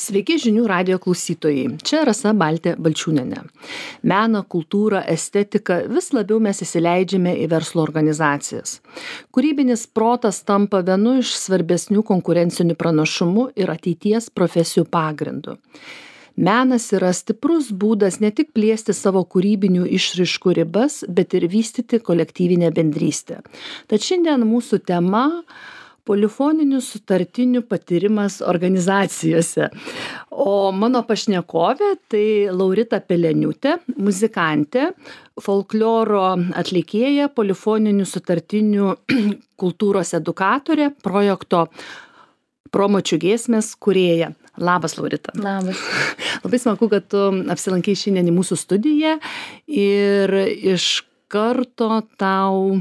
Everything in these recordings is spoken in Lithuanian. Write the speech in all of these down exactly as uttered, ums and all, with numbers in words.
Sveiki žinių radijo klausytojai. Čia Rasa Baltė Balčiūnienė. Meną, kultūrą, estetiką vis labiau mes įsileidžiame į verslo organizacijas. Kūrybinis protas tampa vienu iš svarbesnių konkurencinių pranašumų ir ateities profesijų pagrindu. Menas yra stiprus būdas ne tik plėsti savo kūrybinių išraiškų ribas, bet ir vystyti kolektyvinę bendrystę. Tad šiandien mūsų tema polifoninių sutartinių patyrimas organizacijose. O mano pašnekovė tai Laurita Peleniūtė, muzikantė, folkloro atlikėja, polifoninių sutartinių kultūros edukatorė, projekto Promočių giesmės kūrėja. Labas, Laurita. Labas. Labai smagu, kad tu apsilankai šiandien į mūsų studiją ir iš karto tau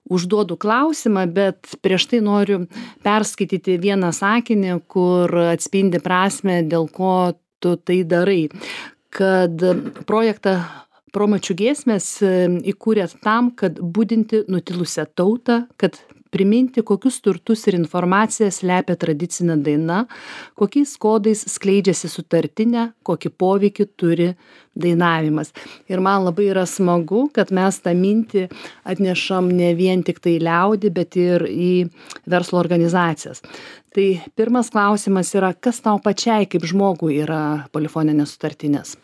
užduodu klausimą, bet prieš tai noriu perskaityti vieną sakinį, kur atspindi prasmę, dėl ko tu tai darai. Kad projektą Promočių giesmės įkūrėt tam, kad budinti nutilusią tautą, kad priminti, kokius turtus ir informaciją slepia tradicinė daina, kokiais kodais skleidžiasi sutartinė, kokį poveikį turi dainavimas. Ir man labai yra smagu, kad mes tą mintį atnešam ne vien tik tai liaudį, bet ir į verslo organizacijas. Tai pirmas klausimas yra, kas tau pačiai kaip žmogui yra polifoninės sutartinės?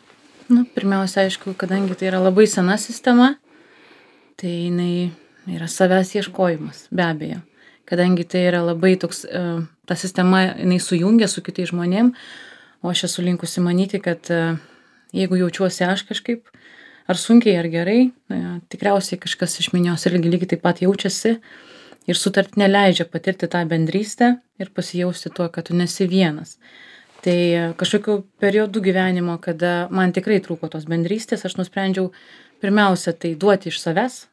Nu, pirmiausia, aišku, kadangi tai yra labai sena sistema, tai jinai yra savęs ieškojimas, be abejo. Kadangi tai yra labai toks, ta sistema, jinai sujungia su kitais žmonėm, o aš esu linkusi manyti, kad jeigu jaučiuosi aš kažkaip, ar sunkiai, ar gerai, tikriausiai kažkas iš minios irgi lygiai taip pat jaučiasi ir sutartinė leidžia patirti tą bendrystę ir pasijausti tuo, kad tu nesi vienas. Tai kažkokiu periodu gyvenimo, kada man tikrai trūko tos bendrystės, aš nusprendžiau pirmiausia tai duoti iš savęs,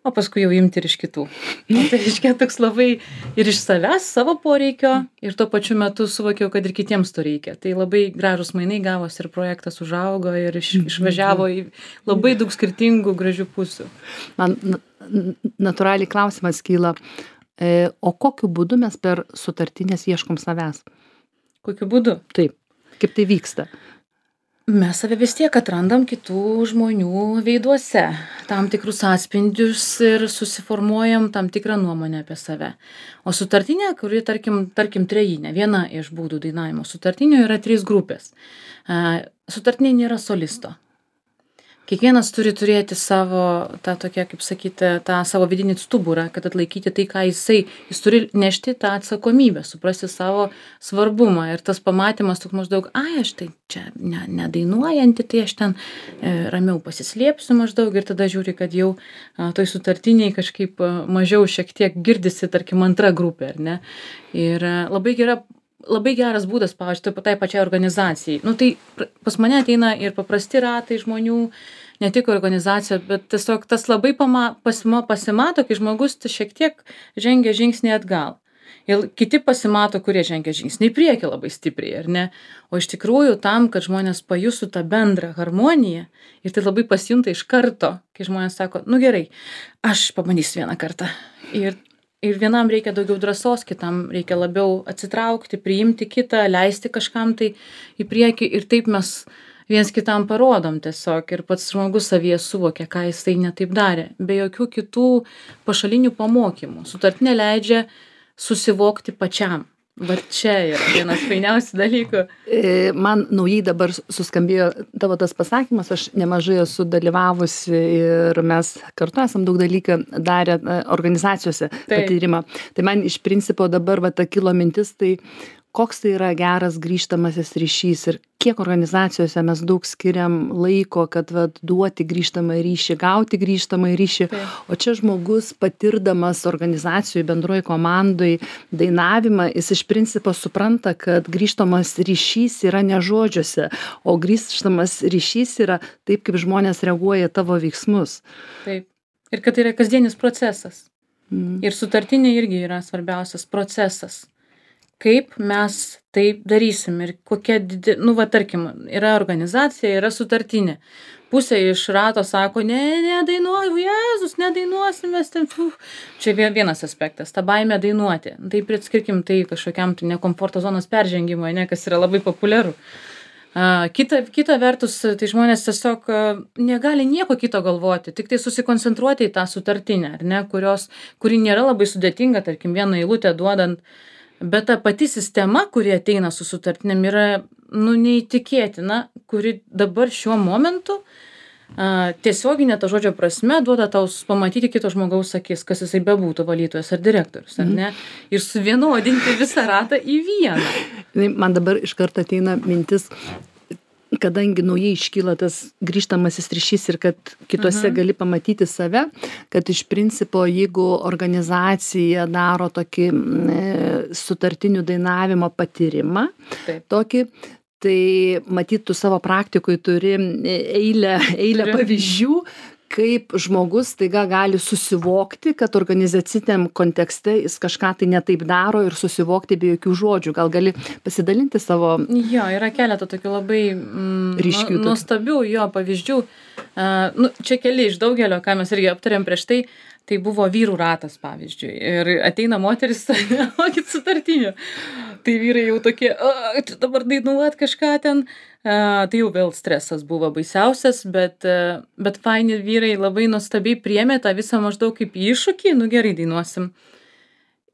o paskui jau imti ir iš kitų. O tai reiškia toks labai ir iš savęs, savo poreikio, ir tuo pačiu metu suvokiau, kad ir kitiems to reikia. Tai labai gražus mainai gavosi ir projektas užaugo ir iš, išvažiavo į labai daug skirtingų gražių pusių. Man natūraliai klausimas kyla, e, o kokiu būdu mes per sutartinės ieškom savęs? Kokiu būdu? Taip, kaip tai vyksta? Mes save vis tiek atrandam kitų žmonių veiduose, tam tikrus atspindžius ir susiformuojam tam tikrą nuomonę apie save. O sutartinė, kuri, tarkim, tarkim trejinė, viena iš būdų dainavimo sutartinio yra trys grupės. Sutartinė nėra solisto. Kiekvienas turi turėti savo, tą tokią, kaip sakyti, tą savo vidinį stuburą, kad atlaikyti tai, ką jisai, jis turi nešti tą atsakomybę, suprasti savo svarbumą. Ir tas pamatymas toks maždaug, ai, aš tai čia ne, nedainuojanti, tai aš ten e, ramiau pasislėpsiu maždaug ir tada žiūri, kad jau a, toj sutartiniai kažkaip a, mažiau šiek tiek girdisi, tarkim, antra grupė, ar ne? Ir a, labai gera Labai geras būdas, pavyzdžiui, tai pačiai organizacijai. Nu, tai pas mane ateina ir paprasti ratai žmonių, ne tik organizacija, bet tiesiog tas labai pama, pasima, pasimato, kai žmogus šiek tiek žengia žingsnį atgal. Ir kiti pasimato, kurie žengia žingsnį į priekį labai stipriai, ar ne? O iš tikrųjų tam, kad žmonės pajustų tą bendrą harmoniją, ir tai labai pasijunta iš karto, kai žmonės sako, nu gerai, aš pabandysiu vieną kartą. Ir Ir vienam reikia daugiau drąsos, kitam reikia labiau atsitraukti, priimti kitą, leisti kažkam tai į priekį ir taip mes viens kitam parodom tiesiog ir pats žmogus savyje suvokia, ką jis tai netaip darė. Be jokių kitų pašalinių pamokymų. Sutartinė leidžia susivokti pačiam. Va čia yra vienas fainiausių dalykų. Man naujai dabar suskambėjo tavo tas pasakymas, aš nemažai esu dalyvavusi ir mes kartu esam daug dalyką darę organizacijose patyrimą. Tai man iš principo dabar va ta kilo mintis, tai koks tai yra geras grįžtamasis ryšys ir kiek organizacijose mes daug skiriam laiko, kad va, duoti grįžtamą ryšį, gauti grįžtamą ryšį. Taip. O čia žmogus patirdamas organizacijoj, bendroj komandoj dainavimą, jis iš principo supranta, kad grįžtamas ryšys yra ne žodžiuose, o grįžtamas ryšys yra taip, kaip žmonės reaguoja į tavo veiksmus. Taip. Ir kad tai yra kasdienis procesas. Mm. Ir sutartinė irgi yra svarbiausias procesas. Kaip mes tai darysim ir kokia, didi, nu va tarkim, yra organizacija, yra sutartinė. pusė iš rato sako, ne, nedainuoju, Jėzus, nedainuosim mes ten. Uf. Čia vienas aspektas, ta baimė dainuoti. Tai priskirkim tai kažkokiam tai nekomforto zonos peržengimui, ne, kas yra labai populiaru. Uh, kita, kita vertus, tai žmonės tiesiog uh, negali nieko kito galvoti, tik tai susikoncentruoti į tą sutartinę, ar ne, kurios, kuri nėra labai sudėtinga, tarkim, vieną eilutę duodant, bet ta pati sistema, kuri ateina su sutartinėm, yra, nu, neįtikėtina, kuri dabar šiuo momentu uh, tiesioginė ta žodžio prasme duoda tau pamatyti kito žmogaus akis, kas jisai bebūtų, valytojas ar direktorius, ar ne, ir suvienodinti visą ratą į vieną. Man dabar iš karto ateina mintis, kadangi naujai iškyla tas grįžtamasis ryšys ir kad kitose Mhm. gali pamatyti save, kad iš principo, jeigu organizacija daro tokį mm, e, sutartinių dainavimo patyrimą, Taip. tokį, tai matyt, tu savo praktikui turi eilę, eilę Turiu. pavyzdžių, kaip žmogus taiga gali susivokti, kad organizaciniam kontekste jis kažką tai netaip daro ir susivokti be jokių žodžių. Gal gali pasidalinti savo... Jo, yra keletą tokių labai mm, Ryškių nu- tokių. nuostabių jo pavyzdžių. Uh, nu, čia keli iš daugelio, ką mes irgi aptarėm prieš tai, tai buvo vyrų ratas, pavyzdžiui. Ir ateina moteris, mokit sutartinių. Tai vyrai jau tokie, "A, čia dabar dainuot kažką ten. Uh, tai jau vėl stresas buvo baisiausias, bet, uh, bet faini vyrai labai nuostabiai priėmė tą visą maždaug kaip iššūkį, nu gerai dainuosim.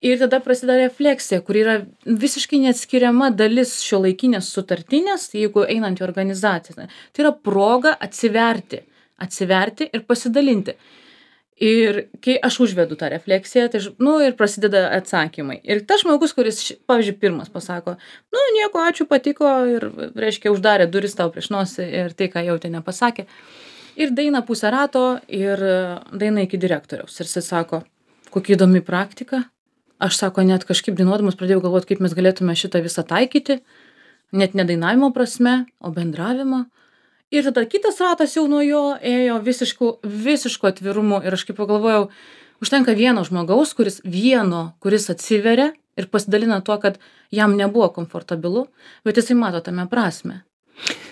Ir tada prasideda refleksija, kur yra visiškai neatskiriama dalis šiuolaikinės sutartinės, jeigu einant į organizaciją. Tai yra proga atsiverti, atsiverti ir pasidalinti. Ir kai aš užvedu tą refleksiją, tai, ž- nu, ir prasideda atsakymai. Ir tas žmogus, kuris, ši- pavyzdžiui, pirmas pasako, nu, nieko, ačiū, patiko, ir, reiškia, uždarė duris tau prieš nosį ir tai, ką jautė, nepasakė. Ir daina pusę rato ir e, daina iki direktoriaus. Ir jis sako, kokia įdomi praktika. Aš sako, net kažkaip dainuodamas pradėjau galvoti, kaip mes galėtume šitą visą taikyti. Net ne dainavimo prasme, o bendravimo. Ir tada kitas ratas jau nuo jo ėjo visišku, visišku atvirumu. Ir aš kaip pagalvojau, užtenka vieno žmogaus, kuris vieno, kuris atsiveria ir pasidalina tuo, kad jam nebuvo komfortabilu, bet jisai mato tame prasme.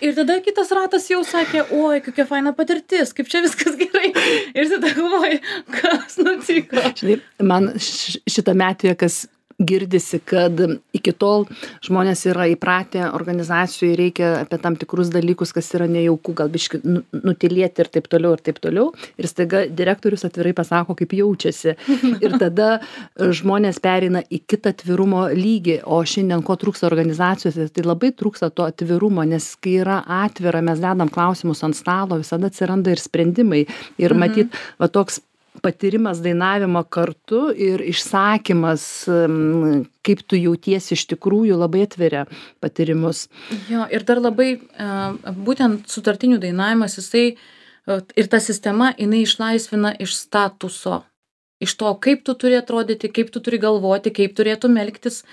Ir tada kitas ratas jau sakė, oi, kokia faina patirtis, kaip čia viskas gerai. Ir tada galvoju, kas nutiko. Žinai, man š- šitame atveju, kas girdisi, kad iki tol žmonės yra įpratę, organizacijai reikia apie tam tikrus dalykus, kas yra nejauku, gal biški nu- nutilėti ir taip toliau ir taip toliau. Ir staiga direktorius atvirai pasako, kaip jaučiasi. Ir tada e, žmonės pereina į kitą atvirumo lygį. O šiandien ko trūksta organizacijose, tai labai trūksta to atvirumo, nes kai yra atvira, mes dedam klausimus ant stalo, visada atsiranda ir sprendimai. Ir matyt, va toks patyrimas dainavimo kartu ir išsakymas, em, kaip tu jautiesi iš tikrųjų, labai atveria patyrimus. Jo, ir dar labai e, būtent sutartinių dainavimas, jisai e, ir ta sistema, jinai išlaisvina iš statuso. Iš to, kaip tu turi atrodyti, kaip tu turi galvoti, kaip turėtum elgtis.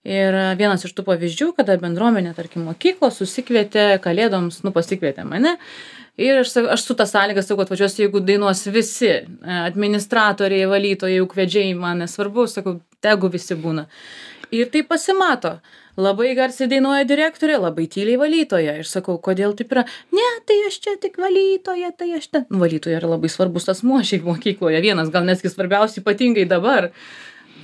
Ir e, vienas iš tų pavyzdžių, kada bendruomenė, tarkim, mokyklos susikvietė kalėdoms, nu pasikvietė mane. Ir aš, sa- aš su tą sąlygą sakau, atvažiuosiu, jeigu dainuos visi, e, administratoriai, valytojai, ūkvedžiai, man nesvarbu, sakau, tegu visi būna. Ir tai pasimato. Labai garsiai dainuoja direktorė, labai tyliai valytoja. Ir sakau, kodėl taip yra? Ne, tai aš čia tik valytoja, tai aš ten. Nu, valytoja yra labai svarbus asmuo šiaip mokykloje. Vienas, gal netgi svarbiausiai ypatingai dabar.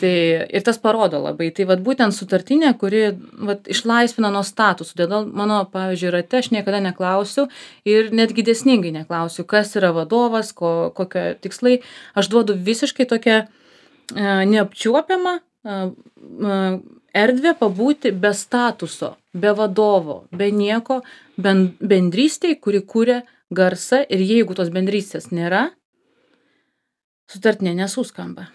Tai ir tas parodo labai. Tai vat būtent sutartinė, kuri vat, išlaisvina nuo statusų. Todėl mano, pavyzdžiui, rate aš niekada neklausiu ir netgi dėsningai neklausiu, kas yra vadovas, ko, kokio tikslai. Aš duodu visiškai tokią e, neapčiuopiamą e, e, erdvę pabūti be statuso, be vadovo, be nieko, ben, bendrystėj, kuri kūrė garsą ir jeigu tos bendrystės nėra, sutartinė nesuskamba.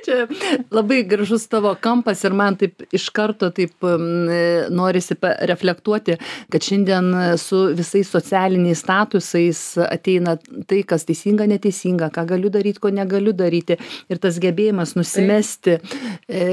Čia labai gražus tavo kampas ir man taip iš karto taip mm, norisi pa- reflektuoti, kad šiandien su visais socialiniais statusais ateina tai, kas teisinga, neteisinga, ką galiu daryti, ko negaliu daryti. Ir tas gebėjimas nusimesti, e,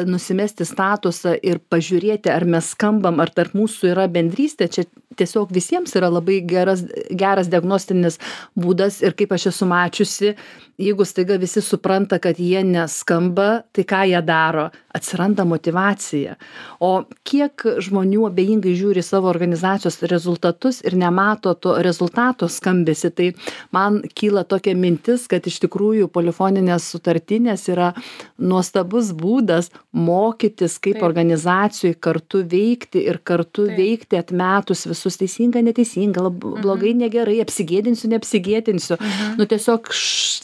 nusimesti statusą ir pažiūrėti, ar mes skambam, ar tarp mūsų yra bendrystė, čia tiesiog visiems yra labai geras, geras diagnostinis būdas ir kaip aš esu mačiusi, jeigu staiga visi supranta, kad jie neskamba, tai ką jie daro? Atsiranda motyvacija. O kiek žmonių abejingai žiūri savo organizacijos rezultatus ir nemato to rezultato skambesi, tai man kyla tokia mintis, kad iš tikrųjų polifoninės sutartinės yra nuostabus būdas mokytis, kaip Taip. organizacijoj kartu veikti ir kartu Taip. veikti atmetus visus teisinga, neteisinga, lab, blogai, negerai, apsigėdinsiu, neapsigėdinsiu. Mhm. Nu tiesiog š,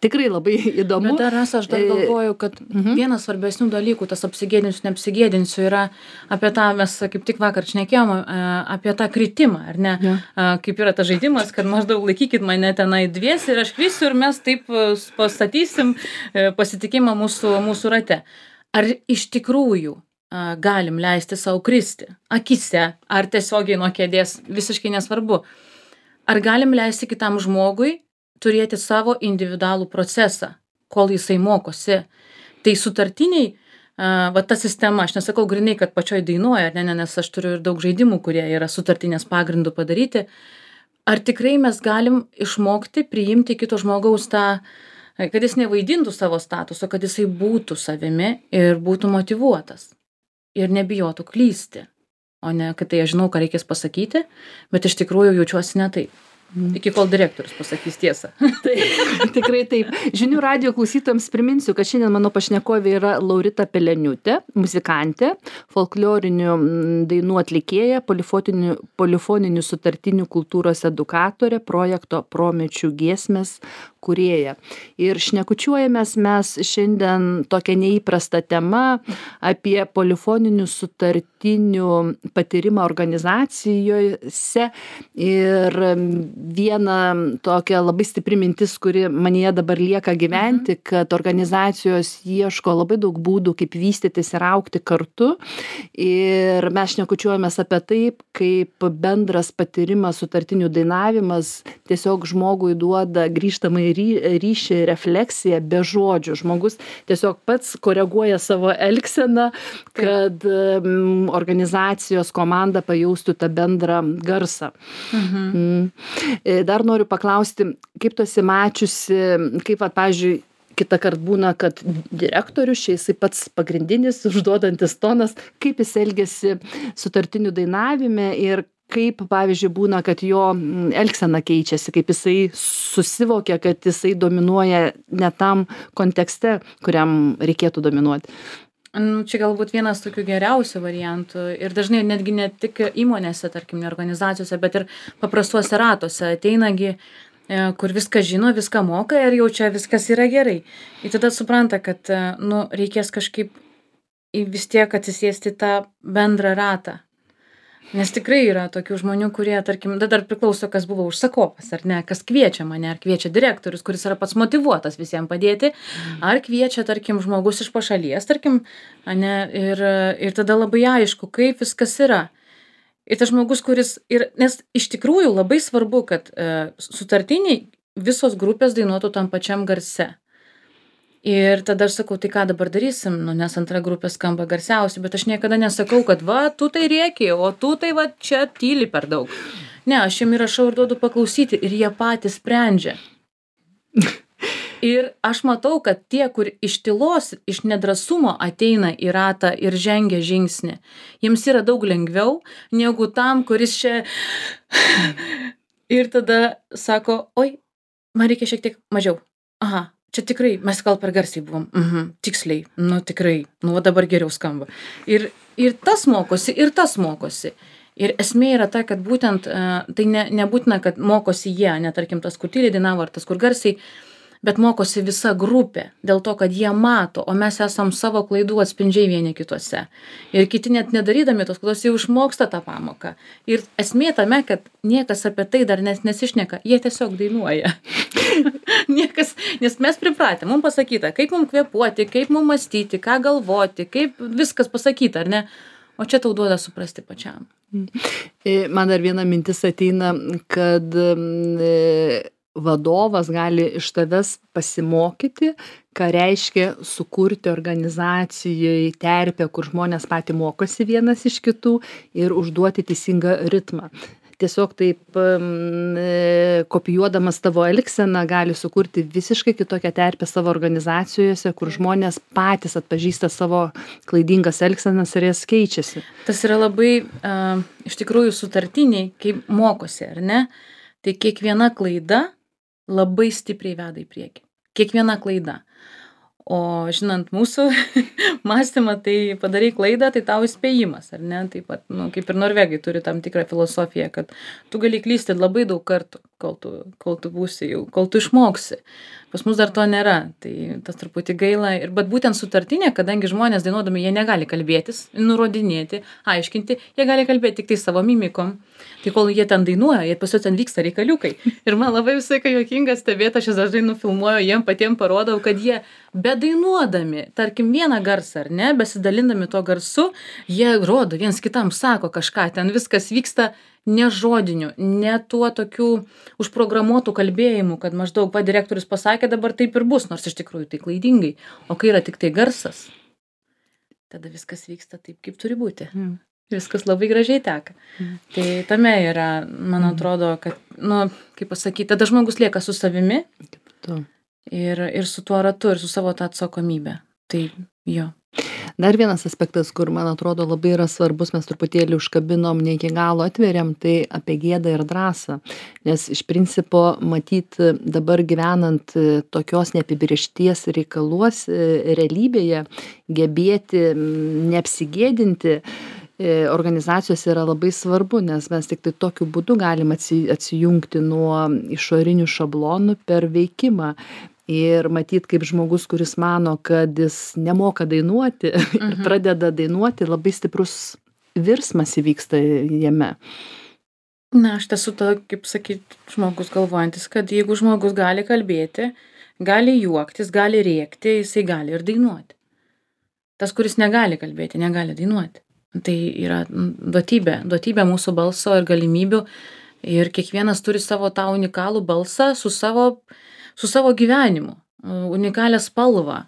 tikrai labai įdomu. Bet dar Rasa, aš dar E, galvoju, kad mhm. vienas svarbesnių dalykų, tas apsigėdinsiu, neapsigėdinsiu, yra apie tą, mes kaip tik vakar šnekėjom, e, apie tą kritimą, ar ne? Jo. E, Kaip yra tas žaidimas, kad maždaug laikykit mane tenai dviesi ir aš krisiu ir mes taip e, pastatysim e, pasitikimą mūsų, mūsų rate. Ar iš tikrųjų e, galim leisti savo kristi? Akise, ar tiesiogiai nuo kėdės, visiškai nesvarbu. Ar galim leisti kitam žmogui turėti savo individualų procesą, kol jisai mokosi? Tai sutartiniai, a, va ta sistema, aš nesakau grinai, kad pačioj dainuoja, ne, ne, nes aš turiu ir daug žaidimų, kurie yra sutartinės pagrindų padaryti. Ar tikrai mes galim išmokti priimti kito žmogaus tą, kad jis nevaidintų savo statuso, kad jisai būtų savimi ir būtų motyvuotas ir nebijotų klysti, o ne, kad tai aš žinau, ką reikės pasakyti, bet iš tikrųjų jaučiuosi ne taip. Iki kol direktorius pasakys tiesą. Tai tikrai taip. Žinių radijo klausytojams priminsiu, kad šiandien mano pašnekovė yra Laurita Peleniūtė, muzikantė, folklorinių mm, dainų atlikėja, polifoninių, polifoninių sutartinių kultūros edukatorė, projekto Promečių giesmės kūrėja. Ir šnekučiuojamės mes šiandien tokią neįprastą temą apie polifoninių sutartinių patyrimą organizacijose. Ir viena tokia labai stipri mintis, kuri manyje dabar lieka gyventi, mhm. kad organizacijos ieško labai daug būdų, kaip vystytis ir augti kartu. Ir mes šnekučiuojamės apie taip, kaip bendras patyrimas sutartinių dainavimas tiesiog žmogui duoda grįžtamai ryšį, refleksiją be žodžių. Žmogus tiesiog pats koreguoja savo elgseną, kad um, organizacijos komanda pajaustų tą bendrą garsą. Mhm. Mm. Dar noriu paklausti, kaip tu esi mačiusi, kaip, va, pavyzdžiui, kitą kartą būna, kad direktorius, čia jisai pats pagrindinis, užduodantis tonas, kaip jis elgiasi sutartinių dainavime ir kaip, pavyzdžiui, būna, kad jo elgsena keičiasi, kaip jisai susivokia, kad jisai dominuoja ne tam kontekste, kuriam reikėtų dominuoti. Nu, čia galbūt vienas tokių geriausių variantų ir dažnai netgi ne tik įmonėse, tarkim, ne organizacijose, bet ir paprastuose ratuose ateinagi, kur viską žino, viską moka ir jau čia viskas yra gerai. Ir tada supranta, kad nu, reikės kažkaip vis tiek atsisėsti tą bendrą ratą. Nes tikrai yra tokių žmonių, kurie, tarkim, dar priklauso, kas buvo užsakovas, ar ne, kas kviečia mane, ar kviečia direktorius, kuris yra pats motyvuotas visiems padėti, ar kviečia, tarkim, žmogus iš pašalies, tarkim, ne, ir, ir tada labai aišku, kaip viskas yra. Ir tas žmogus, kuris, ir, nes iš tikrųjų labai svarbu, kad e, sutartiniai visos grupės dainuotų tam pačiam garse. Ir tada aš sakau, tai ką dabar darysim, nu, nes antra grupė skamba garsiausiai, bet aš niekada nesakau, kad va, tu tai rėki, o tu tai va čia tyli per daug. Ne, aš jiem įrašau ir duodu paklausyti ir jie patys sprendžia. Ir aš matau, kad tie, kur iš tylos, iš nedrasumo ateina į ratą ir žengia žingsnį, jiems yra daug lengviau negu tam, kuris čia ir tada sako, oi, man reikia šiek tiek mažiau. Aha. Čia tikrai, mes gal per garsiai buvom. Mhm, tiksliai, nu tikrai, nu dabar geriau skamba. Ir, ir tas mokosi, ir tas mokosi. Ir esmė yra ta, kad būtent, uh, tai ne, nebūtina, kad mokosi jie, ne tarkim tas, kur tyliai dainavo, ar tas, kur garsiai, bet mokosi visa grupė, dėl to, kad jie mato, o mes esam savo klaidų atspindžiai vieni kituose. Ir kiti net nedarydami tos klaidos jau išmoksta tą pamoką. Ir esmė tame, kad niekas apie tai dar nes, nesišneka, jie tiesiog dainuoja. Niekas, nes mes pripratę, mums pasakyta, kaip mums kvėpuoti, kaip mums mąstyti, ką galvoti, kaip viskas pasakyta, ar ne? O čia tau duoda suprasti pačiam. Man dar viena mintis ateina, kad e, vadovas gali iš tavęs pasimokyti, ką reiškia sukurti organizacijoje terpę, kur žmonės patys mokosi vienas iš kitų ir užduoti teisingą ritmą. tiesiog taip m, e, kopijuodamas tavo elgseną gali sukurti visiškai kitokią terpę savo organizacijose, kur žmonės patys atpažįsta savo klaidingas elgsenas ir jas keičiasi. Tas yra labai uh, iš tikrųjų sutartiniai, kaip mokosi, ar ne? Tai kiekviena klaida labai stipriai veda į priekį. Kiekviena klaida. O žinant mūsų mąstymą, tai padarai klaidą, tai tau įspėjimas, ar ne? Taip pat, nu, kaip ir norvegai turi tam tikrą filosofiją, kad tu gali klysti labai daug kartų, kol tu, kol tu būsi jau, kol tu išmoksi. Pas mus dar to nėra, tai tas truputį gaila. Ir bet būtent sutartinė, kadangi žmonės dainuodami, jie negali kalbėtis, nurodinėti, aiškinti, jie gali kalbėti tik tai savo mimikom. Tai kol jie ten dainuoja, jie pas juos ten vyksta reikaliukai. Ir man labai visai kai juokinga stebėti, aš jas dažnai nufilmuoju, jiem patiem parodau, kad jie bedainuodami, tarkim vieną garsą, ar ne, besidalindami to garsu, jie rodo, viens kitam sako kažką, ten viskas vyksta ne žodiniu, ne tuo tokiu užprogramuotų kalbėjimų, kad maždaug va direktorius pasakė, dabar taip ir bus, nors iš tikrųjų tai klaidingai. O kai yra tik tai garsas, tada viskas vyksta taip, kaip turi būti. Mm. Viskas labai gražiai teka. Mm. Tai tame yra, man atrodo, kad, nu, kaip pasakyti, tada žmogus lieka su savimi ir, ir su tuo ratu, ir su savo tą atsakomybę. Tai jo. Dar vienas aspektas, kur, man atrodo, labai yra svarbus, mes truputėlį užkabinom, ne iki galo atveriam, tai apie gėdą ir drąsą. Nes iš principo, matyt, dabar gyvenant tokios neapibrėžties reikaluos realybėje, gebėti neapsigėdinti organizacijos yra labai svarbu, nes mes tik tai tokiu būdu galim atsijungti nuo išorinių šablonų per veikimą. Ir matyt, kaip žmogus, kuris mano, kad jis nemoka dainuoti ir mhm. pradeda dainuoti, labai stiprus virsmas įvyksta jame. Na, aš esu to, kaip sakyt, žmogus galvojantis, kad jeigu žmogus gali kalbėti, gali juoktis, gali rėkti, jisai gali ir dainuoti. Tas, kuris negali kalbėti, negali dainuoti. Tai yra duotybė, duotybė mūsų balso ir galimybių. Ir kiekvienas turi savo tą unikalų balsą su savo su savo gyvenimu, unikalią spalvą.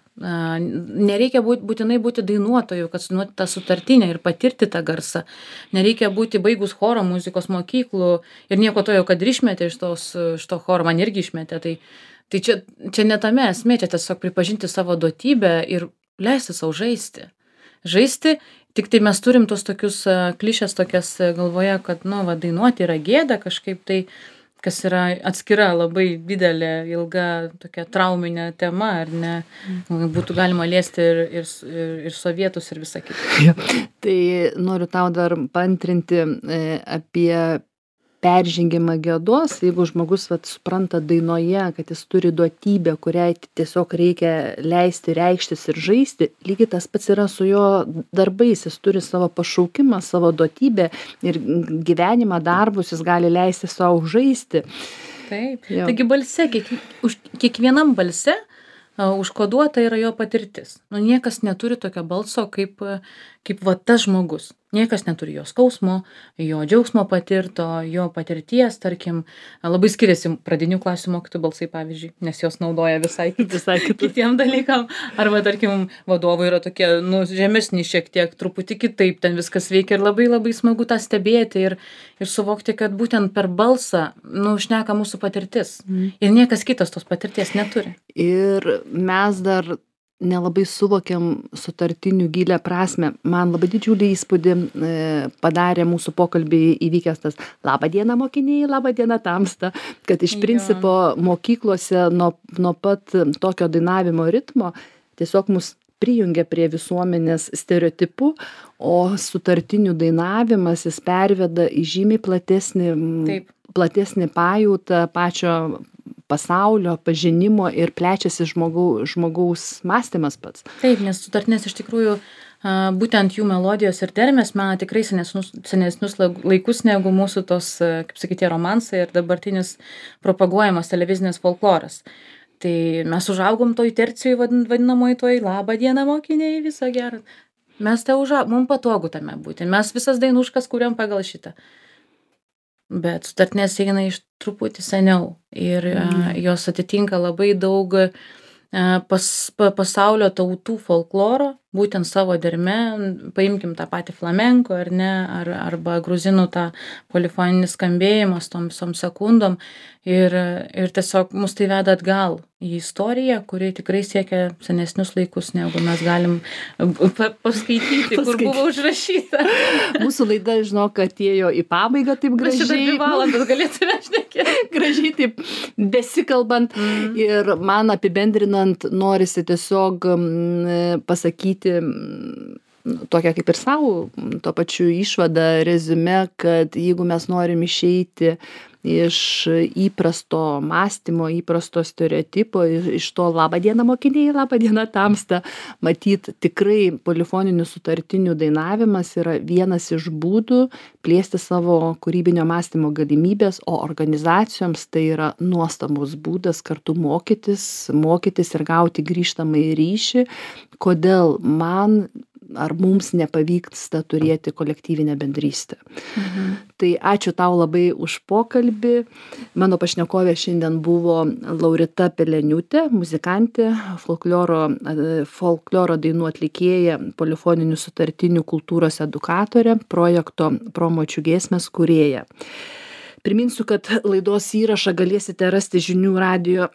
Nereikia būt, būtinai būti dainuotoju, kad sunuoti tą sutartinę ir patirti tą garsą. Nereikia būti baigus choro muzikos mokyklų ir nieko to jau, kad ir išmetė iš, tos, iš to choro, man irgi išmetė. Tai, tai čia, čia ne tame esmė, čia tiesiog pripažinti savo duotybę ir leisti savo žaisti. Žaisti, tik tai mes turim tos tokius klišės tokias galvoje, kad, nu, va, dainuoti yra gėda kažkaip tai, kas yra atskira labai didelė, ilga tokia trauminė tema, ar ne, būtų galima liesti ir, ir, ir, ir sovietus ir visą kitą. Ja. Tai noriu tau dar paantrinti apie peržengimą gėdos, jeigu žmogus vat, supranta dainoje, kad jis turi duotybę, kuriai tiesiog reikia leisti, reikštis ir žaisti, lygiai tas pats yra su jo darbais, jis turi savo pašaukimą, savo duotybę ir gyvenimą, darbus, jis gali leisti savo žaisti. Taip, jo. Taigi balse, kiek, už, kiekvienam balse uh, užkoduota yra jo patirtis. Nu, niekas neturi tokio balso kaip, kaip va tas žmogus. Niekas neturi jo skausmo, jo džiaugsmo patirto, jo patirties, tarkim, labai skiriasi pradinių klasių mokytojų balsai, pavyzdžiui, nes jos naudoja visai, visai kitiem dalykam. Arba, tarkim, vadovai yra tokie, nu, žemesni šiek tiek, truputį kitaip ten viskas veikia ir labai labai smagu tą stebėti ir, ir suvokti, kad būtent per balsą, nu, šneka mūsų patirtis. Mm. Ir niekas kitas tos patirties neturi. Ir mes dar nelabai suvokiam sutartinių gilę prasme. Man labai didžiulį įspūdį e, padarė mūsų pokalbį įvykęs tas labą dieną mokiniai, labą dieną tamsta, kad iš principo mokyklose nuo, nuo pat tokio dainavimo ritmo tiesiog mus prijungia prie visuomenės stereotipų, o sutartinių dainavimas jis perveda į žymiai platesnį, Taip. platesnį pajautą pačio pasaulio pažinimo ir plečiasi žmogau, žmogaus mąstymas pats. Taip, nes sutartinės iš tikrųjų būtent jų melodijos ir dermės mena tikrai senesnius, senesnius laikus negu mūsų tos, kaip sakyti, romansai ir dabartinis propaguojamas televizinės folkloras. Tai mes užaugom toj tercijoj vadinamoj toj labą dieną mokiniai, viso gero. Mes te užaugom, mums patogu tame būti. Mes visas dainuškas kuriam pagal šitą. Bet sutartinės eina iš truputį seniau ir mm. jos atitinka labai daug pas, pa, pasaulio tautų folkloro būtent savo derme, paimkim tą patį flamenko, ar ne, ar, arba gruzinų tą polifoninį skambėjimą su tom visom sekundom ir, ir tiesiog mus tai veda atgal į istoriją, kuri tikrai siekia senesnius laikus, negu mes galim pa paskaityti, kur Paskaityti. buvo užrašyta. Mūsų laida, žinok, atėjo į pabaigą taip Mes šitą dvi gražiai. valandas galėtume šnekėti. Gražiai taip besikalbant Mm. ir man apibendrinant norisi tiesiog mm, pasakyti mm, tokią kaip ir savo, tuo pačiu išvadą, reziume, kad jeigu mes norim išeiti iš įprasto mąstymo, įprasto stereotipo, iš iš to labą dieną mokiniai, labą dieną tamsta, matyt, tikrai polifoninių sutartinių dainavimas yra vienas iš būdų plėsti savo kūrybinio mąstymo galimybės, o organizacijoms tai yra nuostabus būdas kartu mokytis, mokytis ir gauti grįžtamąjį ryšį, kodėl man ar mums nepavyksta turėti kolektyvinę bendrystę. Mhm. Tai ačiū tau labai už pokalbį. Mano pašnekovė šiandien buvo Laurita Peleniūtė, muzikantė, folkloro, e, folkloro dainų atlikėja, polifoninių sutartinių kultūros edukatorė, projekto Promočių giesmės kūrėja. Priminsiu, kad laidos įrašą galėsite rasti žinių radijo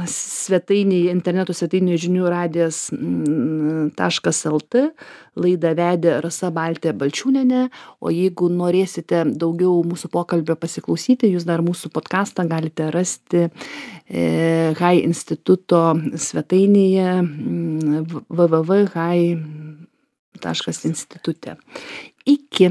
svetainėje, interneto svetainėje žinių radijas taškas lt. Laidą vedė Rasa Baltė Balčiūnienė, o jeigu norėsite daugiau mūsų pokalbio pasiklausyti, jūs dar mūsų podcastą galite rasti e, Hai instituto svetainėje w w w taškas hai taškas institute. Iki.